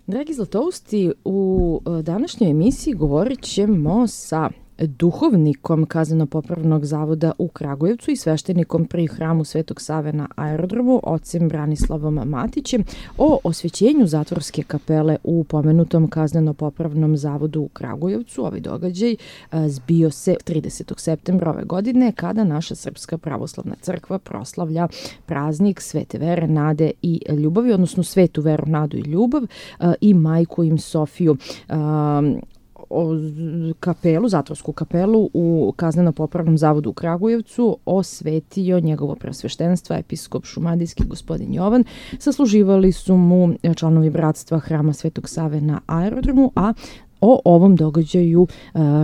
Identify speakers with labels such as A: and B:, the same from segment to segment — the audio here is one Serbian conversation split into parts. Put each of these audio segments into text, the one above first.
A: Dragi Zlatousti, u današnjoj emisiji govorit ćemo sa duhovnikom Kazneno-popravnog zavoda u Kragujevcu i sveštenikom pri hramu Svetog Save na aerodromu, ocem Branislavom Matićem, o osvećenju zatvorske kapele u pomenutom Kazneno-popravnom zavodu u Kragujevcu. Ovaj događaj zbio se 30. septembra ove godine, kada naša Srpska pravoslavna crkva proslavlja praznik Svete vere, nade i ljubavi, odnosno Svetu veru, nadu i ljubav i majku im Sofiju. Kapelu, zatvorsku kapelu u Kazneno-popravnom zavodu u Kragujevcu osvetio njegovo preosveštenstvo episkop šumadijski gospodin Jovan. Sasluživali su mu članovi bratstva hrama Svetog Save na aerodromu, a o ovom događaju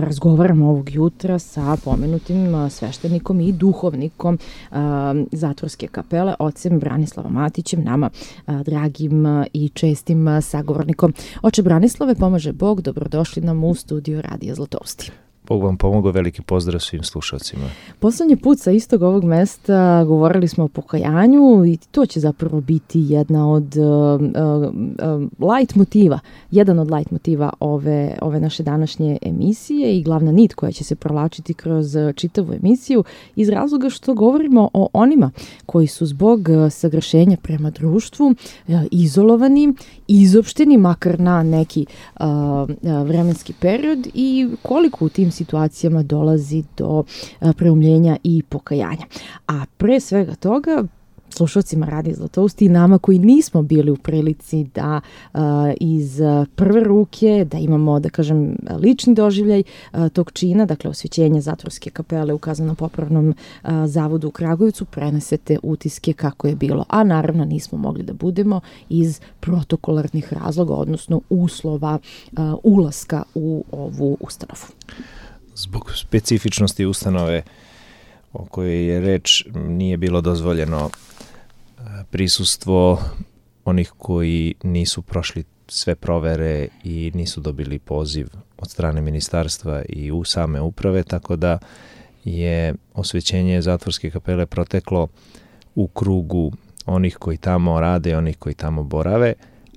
A: razgovaramo ovog jutra sa pomenutim sveštenikom i duhovnikom zatvorske kapele, ocem Branislavom Matićem, nama dragim i čestim sagovornikom. Oče Branislave, pomaže Bog, dobrodošli nam u studio Radija Zlatousti.
B: Bog vam pomogao, veliki pozdrav svim slušalcima.
A: Poslednji put sa istog ovog mesta govorili smo o pokajanju i to će zapravo biti jedna od jedan od light motiva ove naše današnje emisije i glavna nit koja će se provlačiti kroz čitavu emisiju, iz razloga što govorimo o onima koji su zbog sagrešenja prema društvu izolovani, izopšteni, makar na neki vremenski period, i koliko u tim situacijama dolazi do preumljenja i pokajanja. A pre svega toga, slušalcima Radija Zlatousti i nama koji nismo bili u prilici da iz prve ruke, da imamo, da kažem, lični doživljaj tog čina, dakle osvećenja zatvorske kapele u Kazneno-popravnom zavodu u Kragujevcu, prenesete utiske kako je bilo. A naravno nismo mogli da budemo iz protokolarnih razloga, odnosno uslova ulaska u ovu ustanovu.
B: Zbog specifičnosti ustanove o kojoj je reč, nije bilo dozvoljeno prisustvo onih koji nisu prošli sve provere i nisu dobili poziv od strane ministarstva i u same uprave, tako da je osvećenje zatvorske kapele proteklo u krugu onih koji tamo rade, onih koji tamo borave,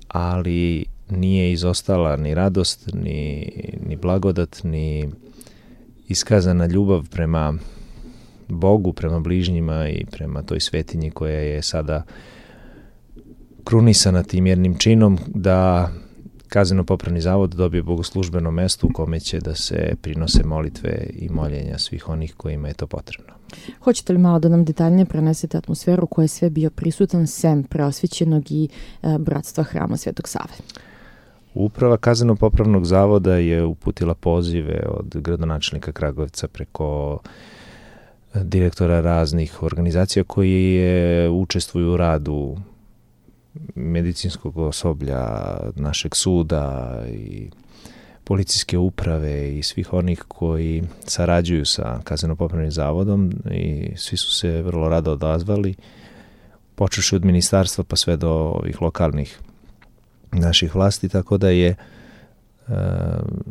B: ali nije izostala ni radost, ni blagodat, ni iskazana ljubav prema Bogu, prema bližnjima i prema toj svetinji koja je sada krunisana tim jednim činom, da Kazneno-popravni zavod dobije bogoslužbeno mesto u kome će da se prinose molitve i moljenja svih onih kojima je to potrebno.
A: Hoćete li malo da nam detaljnije prenesete atmosferu koja je sve bio prisutan sem preosvećenog i bratstva hrama Svetog Save?
B: Uprava Kazneno-popravnog zavoda je uputila pozive od gradonačelnika Kragujevca preko direktora raznih organizacija koji učestvuju u radu medicinskog osoblja, našeg suda i policijske uprave i svih onih koji sarađuju sa Kazneno-popravnim zavodom, i svi su se vrlo rado odazvali, počevši od ministarstva pa sve do ovih lokalnih naših vlasti, tako da je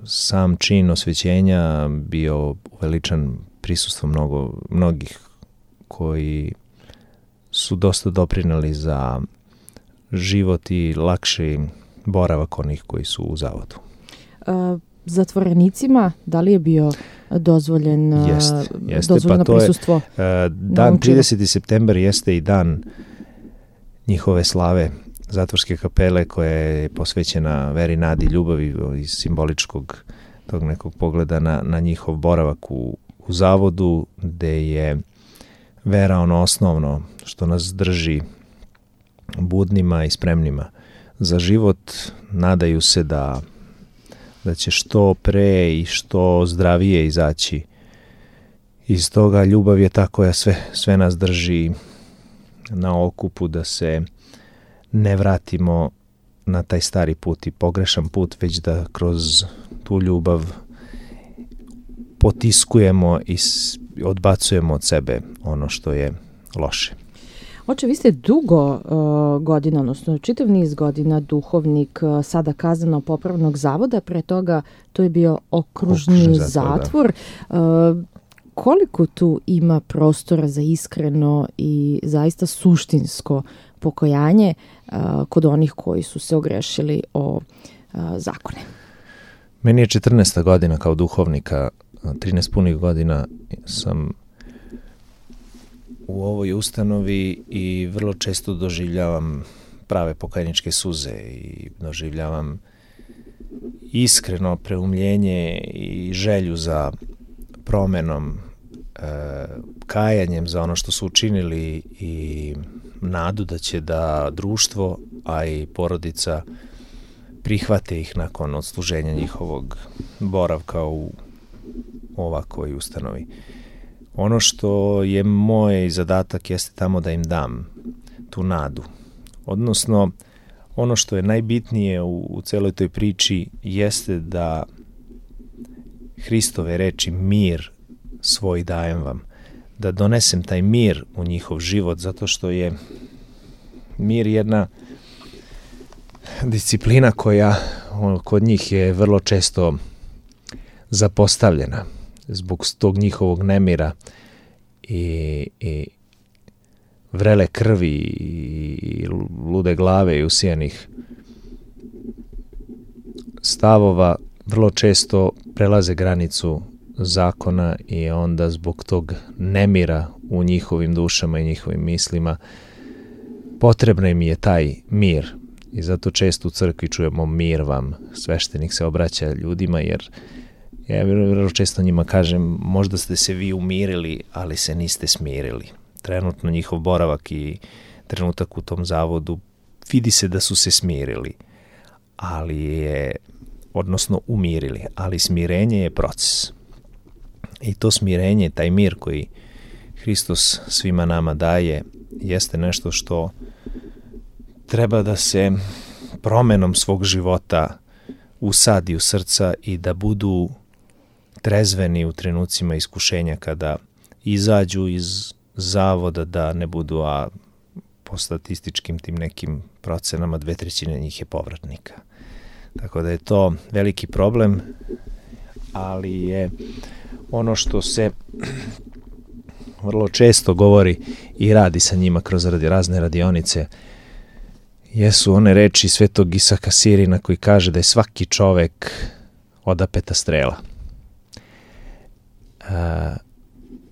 B: sam čin osvećenja bio uveličan prisustvom mnogih koji su dosta doprineli za život i lakši boravak onih koji su u zavodu.
A: Zatvorenicima, da li je bio dozvoljeno prisustvo?
B: Dan 30. september jeste i dan njihove slave zatvorske kapele, koja je posvećena veri, nadi, ljubavi, iz simboličkog tog nekog pogleda na njihov boravak u zavodu, gde je vera ono osnovno što nas drži budnima i spremnima za život. Nadaju se da će što pre i što zdravije izaći iz toga. Ljubav je ta koja sve nas drži na okupu, da se ne vratimo na taj stari put i pogrešan put, već da kroz tu ljubav potiskujemo i odbacujemo od sebe ono što je loše.
A: Oče, vi ste dugo godina, odnosno čitav niz godina duhovnik sada Kazneno-popravnog zavoda, pre toga to je bio okružni zatvor. Koliko tu ima prostora za iskreno i zaista suštinsko pokajanje kod onih koji su se ogrešili o zakone.
B: Meni je 14. godina kao duhovnika, 13 punih godina sam u ovoj ustanovi i vrlo često doživljavam prave pokajničke suze i doživljavam iskreno preumljenje i želju za promenom, kajanjem za ono što su učinili i nadu da će da društvo, a i porodica prihvate ih nakon odsluženja njihovog boravka u ovakvoj ustanovi. Ono što je moj zadatak jeste tamo da im dam tu nadu. Odnosno, ono što je najbitnije u celoj toj priči jeste da Hristove reči mir svoj dajem vam, da donesem taj mir u njihov život, zato što je mir jedna disciplina koja kod njih je vrlo često zapostavljena zbog tog njihovog nemira i vrele krvi i lude glave i usijanih stavova vrlo često prelaze granicu zakona i onda zbog tog nemira u njihovim dušama i njihovim mislima potrebno im je taj mir. I zato često u crkvi čujemo mir vam, sveštenik se obraća ljudima, jer ja vrlo često njima kažem, možda ste se vi umirili, ali se niste smirili. Trenutno njihov boravak i trenutak u tom zavodu vidi se da su se smirili, odnosno umirili, ali smirenje je proces. I to smirenje, taj mir koji Hristos svima nama daje, jeste nešto što treba da se promenom svog života usadi u srca i da budu trezveni u trenucima iskušenja kada izađu iz zavoda, da ne budu, a po statističkim tim nekim procenama 2/3 njih je povratnika. Tako da je to veliki problem, ali je ono što se vrlo često govori i radi sa njima kroz razne radionice, jesu one reči svetog Isaka Sirina koji kaže da je svaki čovek odapeta strela.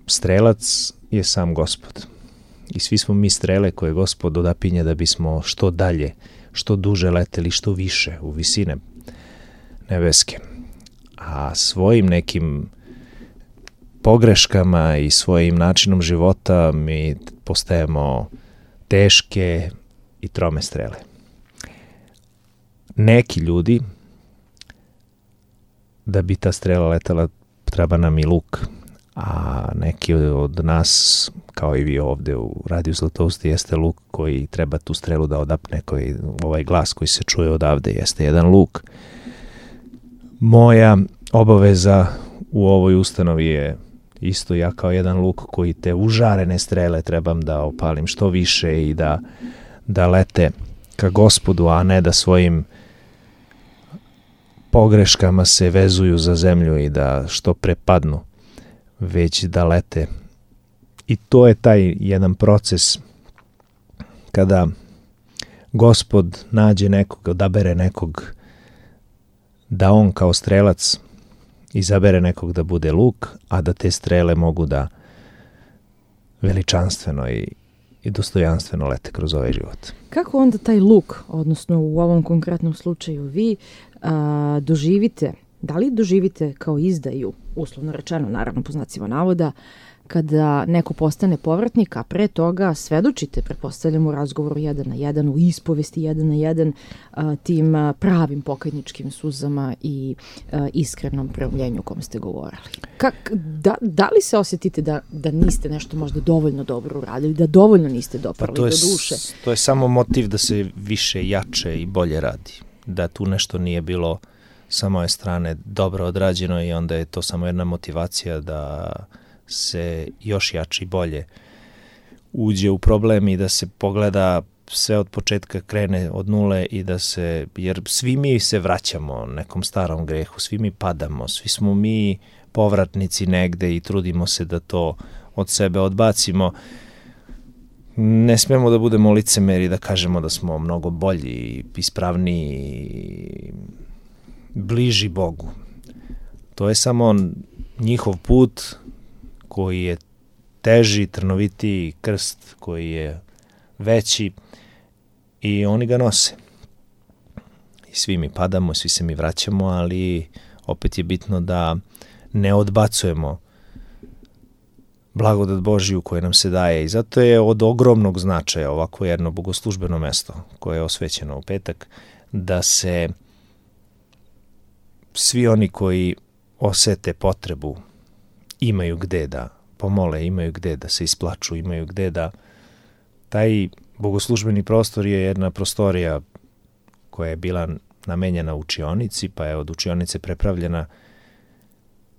B: Strelac je sam Gospod. I svi smo mi strele koje Gospod odapinje da bismo što dalje, što duže leteli, što više u visine nebeske. A svojim nekim pogreškama i svojim načinom života mi postajemo teške i trome strele. Neki ljudi, da bi ta strela letala, treba nam i luk, a neki od nas, kao i vi ovde u Radiju Zlatousti, jeste luk koji treba tu strelu da odapne, ovaj glas koji se čuje odavde jeste jedan luk. Moja obaveza u ovoj ustanovi je isto, ja kao jedan luk koji te užarene strele trebam da opalim što više i da lete ka Gospodu, a ne da svojim pogreškama se vezuju za zemlju i da što pre padnu, već da lete. I to je taj jedan proces kada Gospod nađe nekog, odabere nekog, da on kao strelac izabere nekog da bude luk, a da te strele mogu da veličanstveno i dostojanstveno lete kroz ovaj život.
A: Kako onda taj luk, odnosno u ovom konkretnom slučaju vi, doživite, da li doživite kao izdaju, uslovno rečeno, naravno po znacima navoda, kada neko postane povratnik, a pre toga svedočite, pretpostavljam, u razgovoru 1 na 1, u ispovesti 1 na 1, tim pravim pokajničkim suzama i iskrenom preumljenju o kom ste govorili. Da li se osjetite da niste nešto možda dovoljno dobro uradili, da dovoljno niste doprali do duše?
B: To je samo motiv da se više, jače i bolje radi. Da tu nešto nije bilo sa moje strane dobro odrađeno i onda je to samo jedna motivacija da se još jače i bolje uđe u problem i da se pogleda sve od početka, krene od nule i da se, jer svi mi se vraćamo nekom starom grehu, svi mi padamo, svi smo mi povratnici negde i trudimo se da to od sebe odbacimo. ne smemo da budemo licemeri, da kažemo da smo mnogo bolji, ispravniji, bliži Bogu. To je samo njihov put koji je teži, trnovitiji, krst koji je veći i oni ga nose. I svi mi padamo, svi se mi vraćamo, ali opet je bitno da ne odbacujemo blagodat Božiju koja nam se daje i zato je od ogromnog značaja ovako jedno bogoslužbeno mesto koje je osvećeno u petak, da se svi oni koji osete potrebu imaju gde da pomole, imaju gde da se isplaču, imaju gde da... Taj bogoslužbeni prostor je jedna prostorija koja je bila namenjena učionici, pa je od učionice prepravljena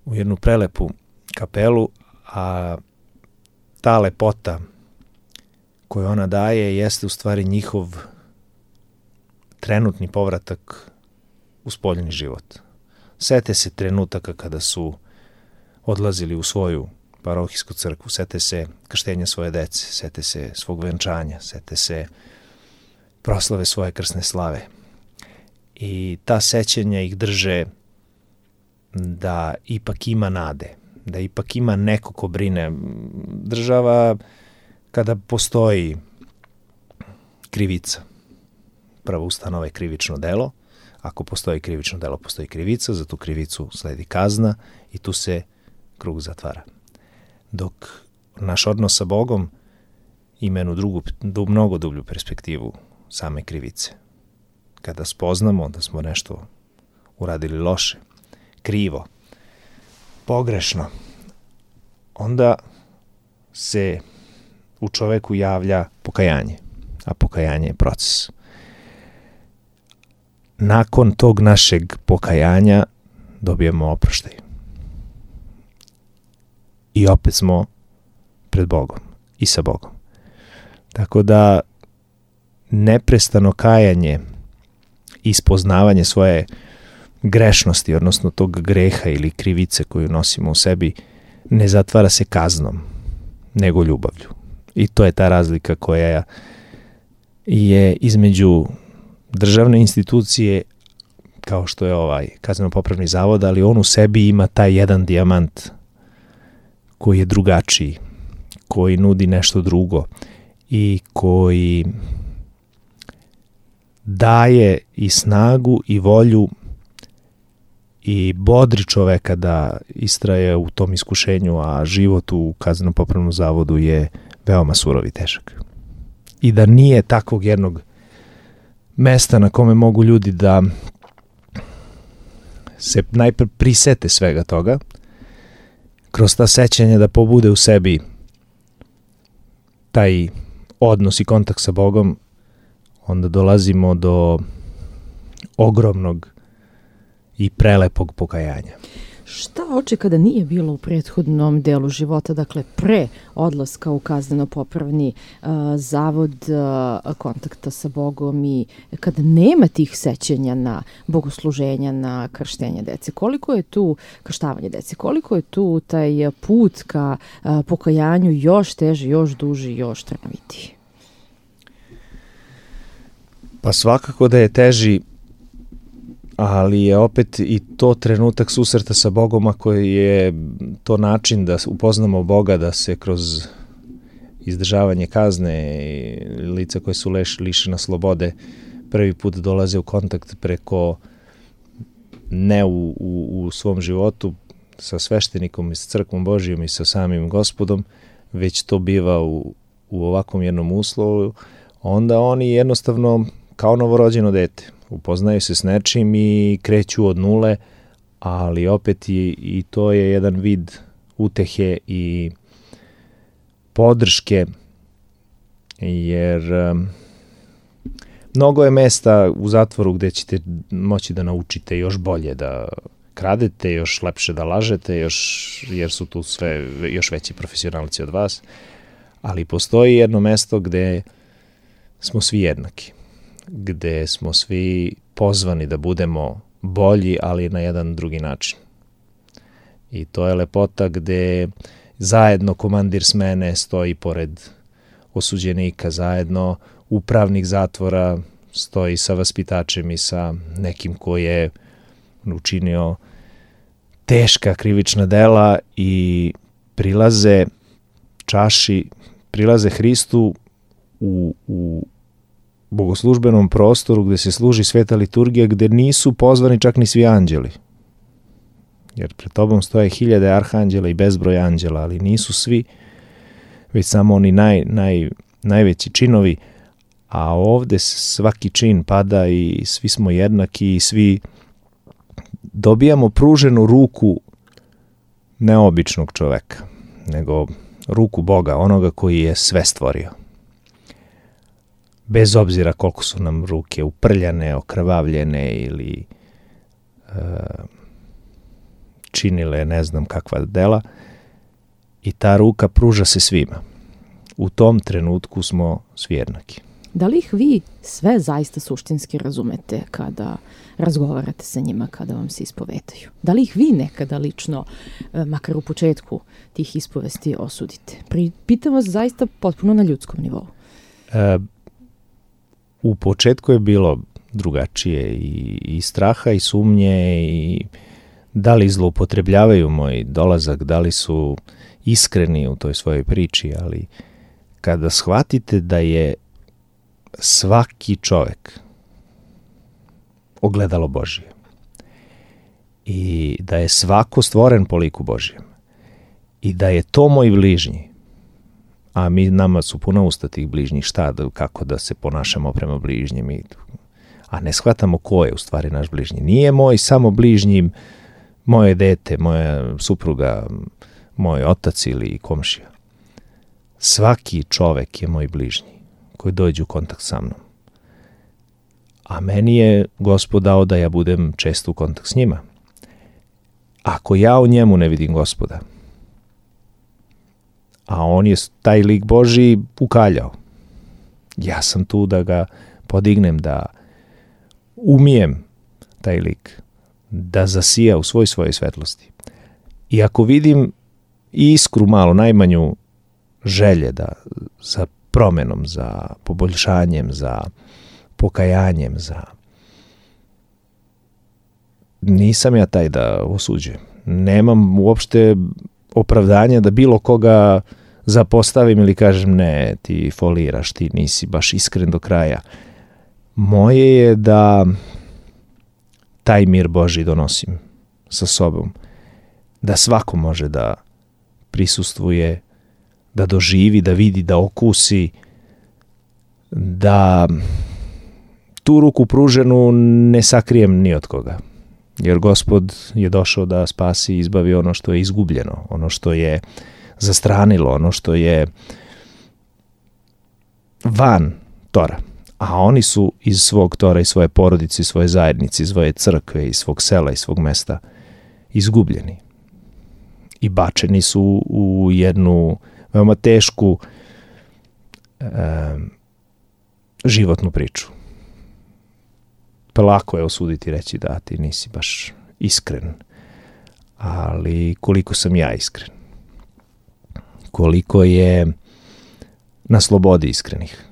B: u jednu prelepu kapelu, a ta lepota koju ona daje jeste u stvari njihov trenutni povratak u spoljni život. Sete se trenutaka kada su odlazili u svoju parohijsku crkvu, sete se krštenja svoje dece, sete se svog venčanja, sete se proslave svoje krsne slave. I ta sećanja ih drže da ipak ima nade, da ipak ima neko ko brine. Država, kada postoji krivica, prvo ustanove krivično delo, ako postoji krivično delo, postoji krivica, za tu krivicu sledi kazna i tu se krug zatvara. Dok naš odnos sa Bogom ima jednu mnogo dublju perspektivu same krivice. Kada spoznamo da smo nešto uradili loše, krivo, pogrešno, onda se u čoveku javlja pokajanje, a pokajanje je proces. Nakon tog našeg pokajanja dobijemo oproštaj. I opet smo pred Bogom i sa Bogom. Tako da neprestano kajanje i spoznavanje svoje grešnosti, odnosno tog greha ili krivice koju nosimo u sebi, ne zatvara se kaznom, nego ljubavlju. I to je ta razlika koja je između državne institucije, kao što je ovaj kazneno-popravni zavod, ali on u sebi ima taj jedan dijamant koji je drugačiji, koji nudi nešto drugo i koji daje i snagu i volju i bodri čoveka da istraje u tom iskušenju, a život u kazneno-popravnom zavodu je veoma surov i težak. I da nije takvog jednog mesta na kome mogu ljudi da se najpre prisete svega toga, kroz ta sećanja da pobude u sebi taj odnos i kontakt sa Bogom, onda dolazimo do ogromnog i prelepog pokajanja.
A: Šta oče kada nije bilo u prethodnom delu života, dakle pre odlaska u kazneno-popravni zavod, kontakta sa Bogom i kada nema tih sećanja na bogosluženja, na krštenje dece? Koliko je tu krštavanje dece? Koliko je tu taj put ka pokajanju još teži, još duži, još trnovitiji?
B: Pa svakako da je teži, ali je opet i to trenutak susreta sa Bogom, ako je to način da upoznamo Boga, da se kroz izdržavanje kazne i lica koje su lišena slobode prvi put dolaze u kontakt preko ne u svom životu sa sveštenikom i sa crkvom Božijom i sa samim Gospodom, već to biva u ovakvom jednom uslovu, onda oni jednostavno kao novorođeno dete upoznaju se s nečim i kreću od nule, ali opet i to je jedan vid utehe i podrške, jer mnogo je mesta u zatvoru gde ćete moći da naučite još bolje da kradete, još lepše da lažete, jer su tu sve još veći profesionalci od vas, ali postoji jedno mesto gde smo svi jednaki, gde smo svi pozvani da budemo bolji, ali na jedan drugi način. I to je lepota gde zajedno komandir smene stoji pored osuđenika zajedno, upravnik zatvora stoji sa vaspitačem i sa nekim ko je učinio teška krivična dela i prilaze čaši, prilaze Hristu u bogoslužbenom prostoru gde se služi sveta liturgija, gde nisu pozvani čak ni svi anđeli. Jer pred tobom stoje 1000 arhanđela i bezbroj anđela, ali nisu svi, već samo oni najveći činovi, a ovde svaki čin pada i svi smo jednaki i svi dobijamo pruženu ruku neobičnog čoveka, nego ruku Boga, onoga koji je sve stvorio. Bez obzira koliko su nam ruke uprljane, okrvavljene ili činile ne znam kakva dela, i ta ruka pruža se svima. U tom trenutku smo svi jednaki.
A: Da li ih vi sve zaista suštinski razumete kada razgovarate sa njima, kada vam se ispovedaju? Da li ih vi nekada lično, makar u početku tih ispovesti, osudite? Pitam vas zaista potpuno na ljudskom nivou.
B: U početku je bilo drugačije i straha i sumnje i da li zloupotrebljavaju moj dolazak, da li su iskreni u toj svojoj priči, ali kada shvatite da je svaki čovek ogledalo Božije i da je svako stvoren po liku Božijem i da je to moj bližnji, a nama su puna usta tih bližnjih, kako da se ponašamo prema bližnjim, a ne shvatamo ko je u stvari naš bližnji. Nije moj samo bližnji moje dete, moja supruga, moj otac ili komšija. Svaki čovek je moj bližnji koji dođe u kontakt sa mnom. A meni je Gospod dao da ja budem često u kontakt s njima. Ako ja u njemu ne vidim Gospoda, a on je taj lik Božji ukaljao, ja sam tu da ga podignem, da umijem taj lik, da zasija u svojoj svetlosti. I ako vidim iskru malo, najmanju želje za promenom, za poboljšanjem, za pokajanjem, nisam ja taj da osuđujem. Nemam uopšte opravdanja da bilo koga zapostavim ili kažem ne, ti foliraš, ti nisi baš iskren do kraja. Moje je da taj mir Božji donosim sa sobom, da svako može da prisustvuje, da doživi, da vidi, da okusi, da tu ruku pruženu ne sakrijem ni od koga. Jer Gospod je došao da spasi i izbavi ono što je izgubljeno, ono što je zastranilo, ono što je van tora. A oni su iz svog tora, iz svoje porodice, iz svoje zajednice, iz svoje crkve, iz svog sela, iz svog mesta izgubljeni. I bačeni su u jednu veoma tešku životnu priču. Pa lako je osuditi i reći da ti nisi baš iskren. Ali koliko sam ja iskren? Koliko je na slobodi iskrenih?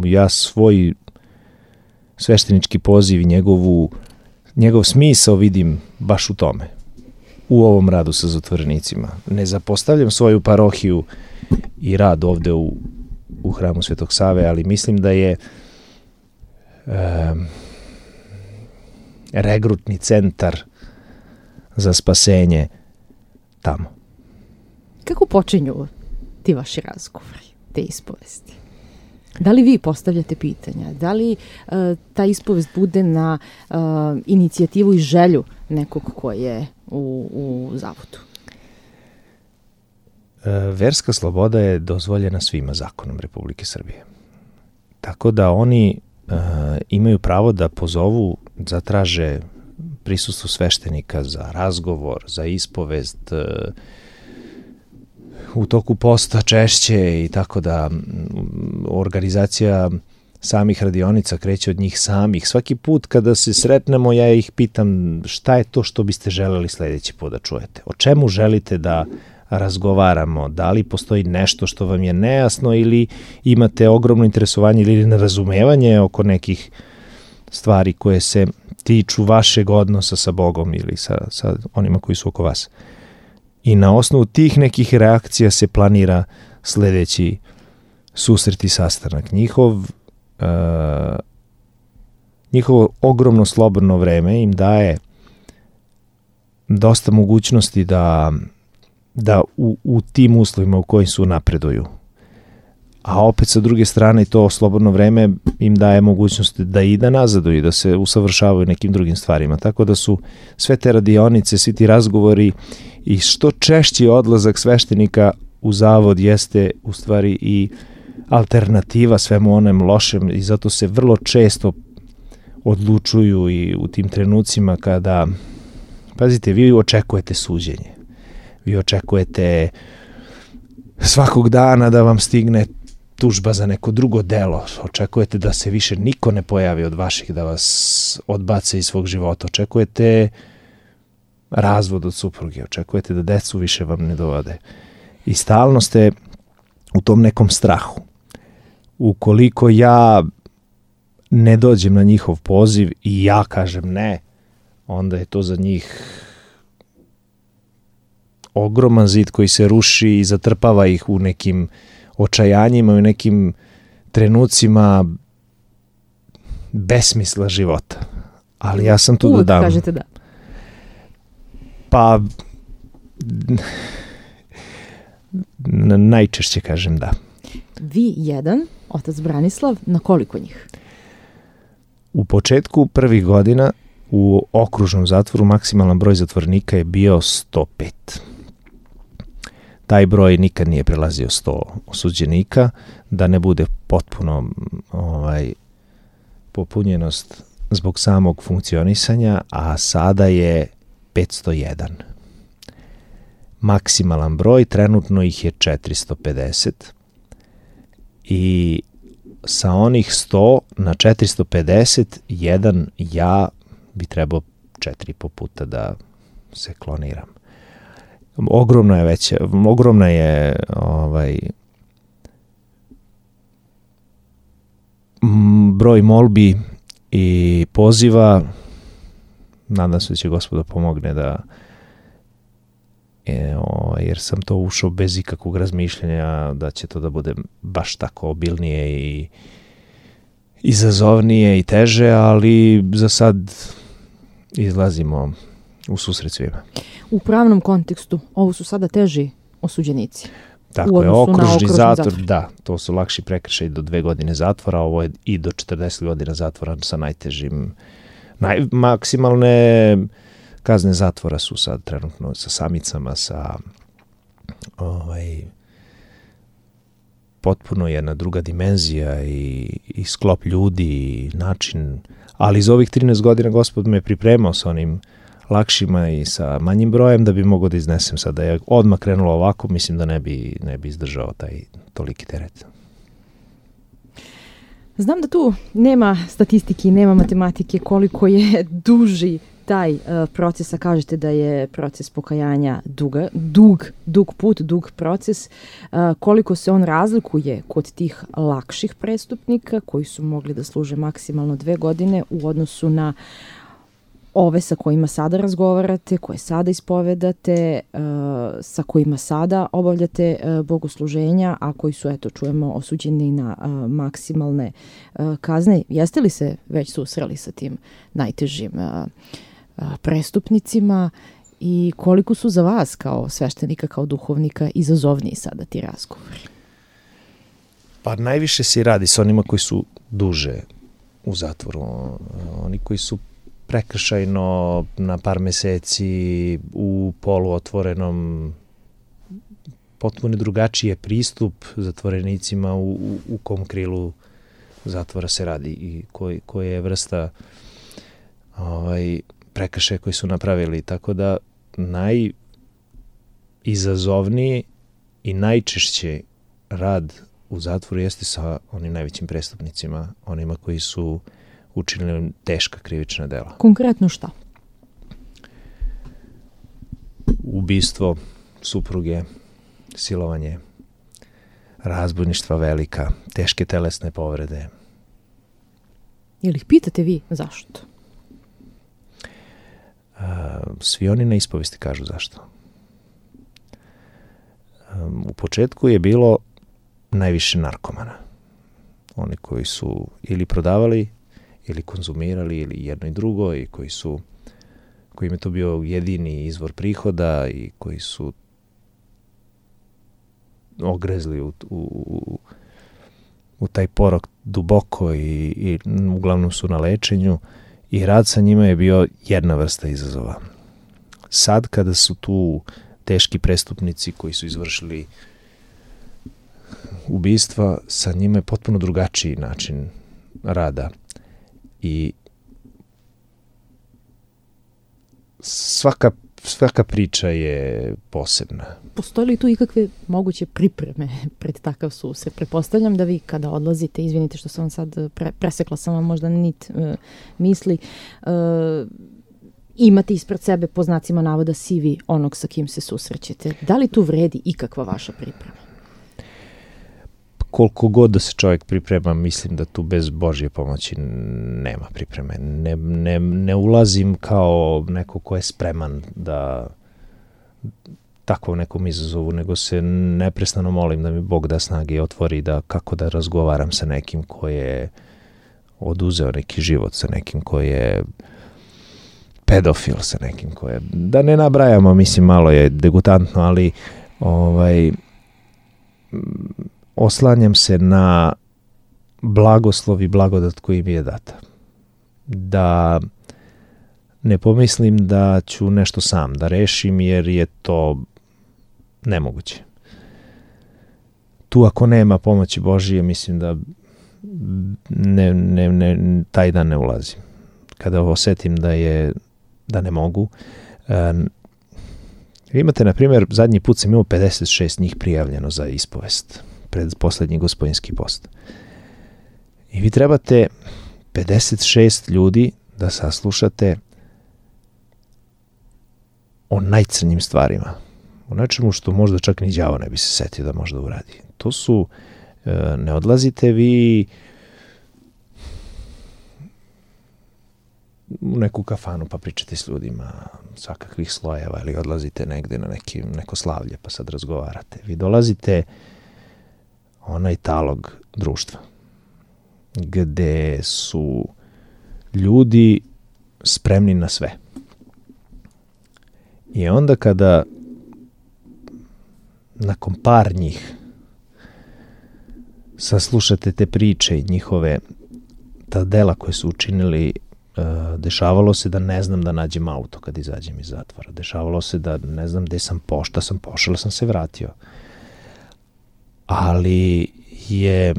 B: Ja svoj sveštenički poziv i njegov smisao vidim baš u tome. U ovom radu sa zatvorenicima. Ne zapostavljam svoju parohiju i rad ovde u hramu Svetog Save, ali mislim da je regrutni centar za spasenje tamo.
A: Kako počinju ti vaši razgovori, te ispovesti? Da li vi postavljate pitanja? Da li ta ispovest bude na inicijativu i želju nekog ko je u zavodu?
B: Verska sloboda je dozvoljena svima zakonom Republike Srbije. Tako da oni imaju pravo da pozovu, zatraže prisustvo sveštenika za razgovor, za ispovest, u toku posta češće, i tako da organizacija samih radionica kreće od njih samih. Svaki put kada se sretnemo, ja ih pitam šta je to što biste želeli sledeći put da čujete. O čemu želite da razgovaramo, da li postoji nešto što vam je nejasno ili imate ogromno interesovanje ili nerazumevanje oko nekih stvari koje se tiču vašeg odnosa sa Bogom ili sa onima koji su oko vas. I na osnovu tih nekih reakcija se planira sledeći susret i sastanak. Njihovo ogromno slobodno vreme im daje dosta mogućnosti da u tim uslovima u kojim su napreduju. A opet sa druge strane to slobodno vreme im daje mogućnost da i da nazaduju i da se usavršavaju nekim drugim stvarima. Tako da su sve te radionice, svi ti razgovori i što češći odlazak sveštenika u zavod jeste u stvari i alternativa svemu onem lošem i zato se vrlo često odlučuju i u tim trenucima kada, pazite, vi očekujete suđenje. Vi očekujete svakog dana da vam stigne tužba za neko drugo delo. Očekujete da se više niko ne pojavi od vaših, da vas odbace iz svog života. Očekujete razvod od supruge. Očekujete da decu više vam ne dovode. I stalno ste u tom nekom strahu. Ukoliko ja ne dođem na njihov poziv i ja kažem ne, onda je to za njih ogroman zid koji se ruši i zatrpava ih u nekim očajanjima, u nekim trenucima besmisla života. Ali ja sam tu da dam.
A: Kažete da.
B: Pa najčešće kažem da.
A: Vi jedan, otac Branislav, na koliko njih?
B: U početku prvih godina u okružnom zatvoru maksimalan broj zatvornika je bio 105. Taj broj nikad nije prelazio 100 osuđenika, da ne bude potpuno popunjenost zbog samog funkcionisanja, a sada je 501. Maksimalan broj, trenutno ih je 450 i sa onih 100 na 450 jedan ja bi trebao 4,5 puta da se kloniram. Ogromna je broj molbi i poziva. Nadam se da će Gospod pomogne jer sam to ušao bez ikakvog razmišljanja da će to da bude baš tako obilnije i izazovnije i teže, ali za sad izlazimo u susret svima.
A: U pravnom kontekstu ovo su sada teži osuđenici.
B: Tako je, okružni zatvor, da, to su lakši prekršaji do 2 godine zatvora, ovo je i do 40 godina zatvora sa najtežim. Maksimalne kazne zatvora su sad trenutno sa samicama, sa potpuno jedna druga dimenzija i sklop ljudi i način, ali iz ovih 13 godina Gospod me pripremao sa onim lakšima i sa manjim brojem da bi mogao da iznesem sad. Da je odmah krenulo ovako, mislim da ne bi izdržao taj toliki teret.
A: Znam da tu nema statistike, nema matematike koliko je duži taj proces, a kažete da je proces pokajanja dug put, dug proces, koliko se on razlikuje kod tih lakših prestupnika koji su mogli da služe maksimalno 2 godine u odnosu na ove sa kojima sada razgovarate, koje sada ispovedate, sa kojima sada obavljate bogosluženja, a koji su, eto, čujemo, osuđeni na maksimalne kazne. Jeste li se već susreli sa tim najtežim prestupnicima i koliko su za vas kao sveštenika, kao duhovnika izazovniji sada ti razgovori?
B: Pa najviše se radi sa onima koji su duže u zatvoru. Oni koji su prekršajno na par meseci u poluotvorenom, potpuno drugačiji je pristup zatvorenicima u kom krilu zatvora se radi i koja je vrsta prekršaja koji su napravili. Tako da najizazovniji i najčešće rad u zatvoru jeste sa onim najvećim prestupnicima, onima koji su učinili teška krivična dela.
A: Konkretno šta?
B: Ubistvo, supruge, silovanje, razbojništva velika, teške telesne povrede.
A: Jel ih pitate vi zašto?
B: Svi oni na ispovesti kažu zašto. U početku je bilo najviše narkomana. Oni koji su ili prodavali, ili konzumirali, ili jedno i drugo, i kojim je to bio jedini izvor prihoda i koji su ogrezli u taj porok duboko i uglavnom su na lečenju i rad sa njima je bio jedna vrsta izazova. Sad kada su tu teški prestupnici koji su izvršili ubistva, sa njima je potpuno drugačiji način rada i svaka priča je posebna.
A: Postoje li tu ikakve moguće pripreme pred takav susret? Pretpostavljam da vi kada odlazite, izvinite što sam vam sad presekla sam vam možda nit misli, imate ispred sebe po znacima navoda CV onog sa kim se susrećete. Da li tu vredi ikakva vaša priprema?
B: Koliko god da se čovjek priprema, mislim da tu bez Božje pomoći nema pripreme. Ne ulazim kao neko ko je spreman da takvom nekom izazovu, nego se neprestano molim da mi Bog da snage i otvori kako da razgovaram sa nekim ko je oduzeo neki život, sa nekim ko je pedofil, sa nekim ko je... Da ne nabrajamo, mislim, malo je degutantno, ali oslanjam se na blagoslov i blagodat koji mi je data. Da ne pomislim da ću nešto sam da rešim, jer je to nemoguće. Tu ako nema pomoći Božije, mislim da taj dan ne ulazim. Kada osetim da ne mogu. Imate, na primjer, zadnji put sam imao 56 njih prijavljeno za ispovest pred poslednji gospodinski post. I vi trebate 56 ljudi da saslušate o najcrnjim stvarima. O nečemu što možda čak ni đavo ne bi se setio da možda uradi. To su, ne odlazite vi u neku kafanu pa pričate s ljudima svakakvih slojeva ili odlazite negde na neko slavlje pa sad razgovarate. Vi dolazite onaj talog društva gde su ljudi spremni na sve. I onda kada nakon par njih saslušate te priče i njihove ta dela koje su učinili, dešavalo se da ne znam da nađem auto kad izađem iz zatvora. Dešavalo se da ne znam gde sam pošao, ali sam se vratio. Ali je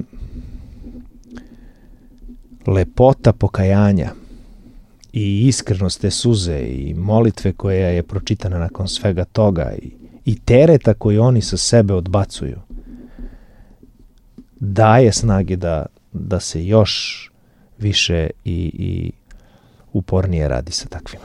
B: lepota pokajanja i iskrenost te suze i molitve koja je pročitana nakon svega toga i tereta koji oni sa sebe odbacuju daje snage da se još više i upornije radi sa takvima.